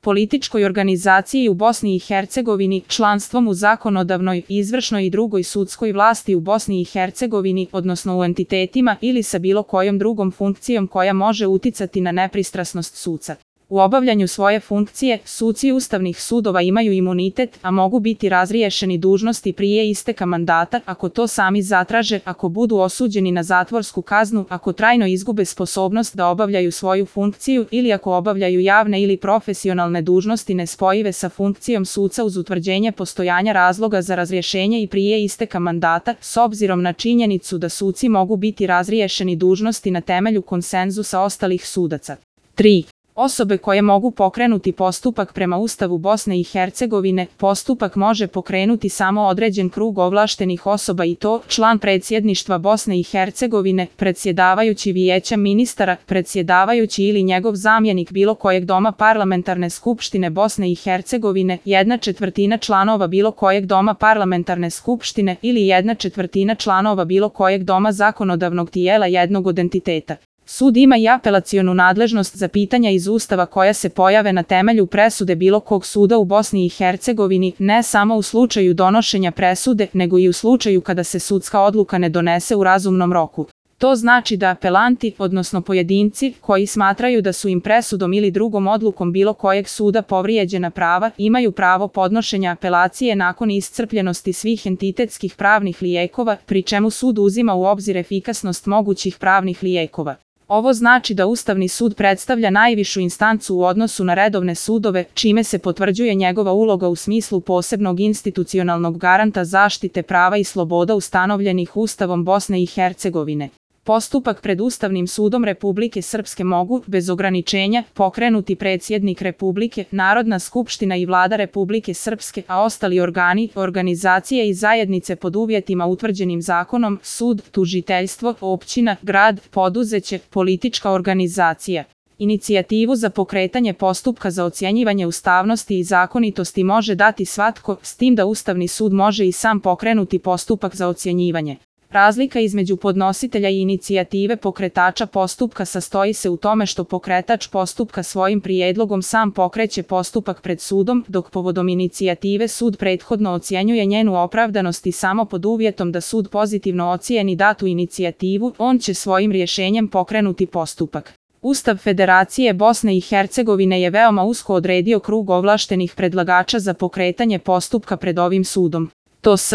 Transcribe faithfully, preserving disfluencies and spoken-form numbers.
političkoj organizaciji u Bosni i Hercegovini, članstvom u zakonodavnoj, izvršnoj i drugoj sudskoj vlasti u Bosni i Hercegovini, odnosno u entitetima ili sa bilo kojom drugom funkcijom koja može uticati na nepristrasnost suca. U obavljanju svoje funkcije, suci ustavnih sudova imaju imunitet, a mogu biti razriješeni dužnosti prije isteka mandata ako to sami zatraže, ako budu osuđeni na zatvorsku kaznu, ako trajno izgube sposobnost da obavljaju svoju funkciju ili ako obavljaju javne ili profesionalne dužnosti nespojive sa funkcijom suca uz utvrđenje postojanja razloga za razrješenje i prije isteka mandata, s obzirom na činjenicu da suci mogu biti razriješeni dužnosti na temelju konsenzusa ostalih sudaca. tri. Osobe koje mogu pokrenuti postupak prema Ustavu Bosne i Hercegovine, postupak može pokrenuti samo određen krug ovlaštenih osoba i to član predsjedništva Bosne i Hercegovine, predsjedavajući vijeća ministara, predsjedavajući ili njegov zamjenik bilo kojeg doma parlamentarne skupštine Bosne i Hercegovine, jedna četvrtina članova bilo kojeg doma parlamentarne skupštine ili jedna četvrtina članova bilo kojeg doma zakonodavnog tijela jednog od entiteta. Sud ima i apelacionu nadležnost za pitanja iz Ustava koja se pojave na temelju presude bilo kog suda u Bosni i Hercegovini, ne samo u slučaju donošenja presude, nego i u slučaju kada se sudska odluka ne donese u razumnom roku. To znači da apelanti, odnosno pojedinci, koji smatraju da su im presudom ili drugom odlukom bilo kojeg suda povrijeđena prava, imaju pravo podnošenja apelacije nakon iscrpljenosti svih entitetskih pravnih lijekova, pri čemu sud uzima u obzir efikasnost mogućih pravnih lijekova. Ovo znači da Ustavni sud predstavlja najvišu instancu u odnosu na redovne sudove, čime se potvrđuje njegova uloga u smislu posebnog institucionalnog garanta zaštite prava i sloboda ustanovljenih Ustavom Bosne i Hercegovine. Postupak pred Ustavnim sudom Republike Srpske mogu, bez ograničenja, pokrenuti predsjednik Republike, Narodna skupština i Vlada Republike Srpske, a ostali organi, organizacije i zajednice pod uvjetima utvrđenim zakonom, sud, tužiteljstvo, općina, grad, poduzeće, politička organizacija. Inicijativu za pokretanje postupka za ocjenjivanje ustavnosti i zakonitosti može dati svatko, s tim da Ustavni sud može i sam pokrenuti postupak za ocjenjivanje. Razlika između podnositelja i inicijative pokretača postupka sastoji se u tome što pokretač postupka svojim prijedlogom sam pokreće postupak pred sudom, dok povodom inicijative sud prethodno ocjenjuje njenu opravdanost i samo pod uvjetom da sud pozitivno ocijeni datu inicijativu, on će svojim rješenjem pokrenuti postupak. Ustav Federacije Bosne i Hercegovine je veoma usko odredio krug ovlaštenih predlagača za pokretanje postupka pred ovim sudom. To s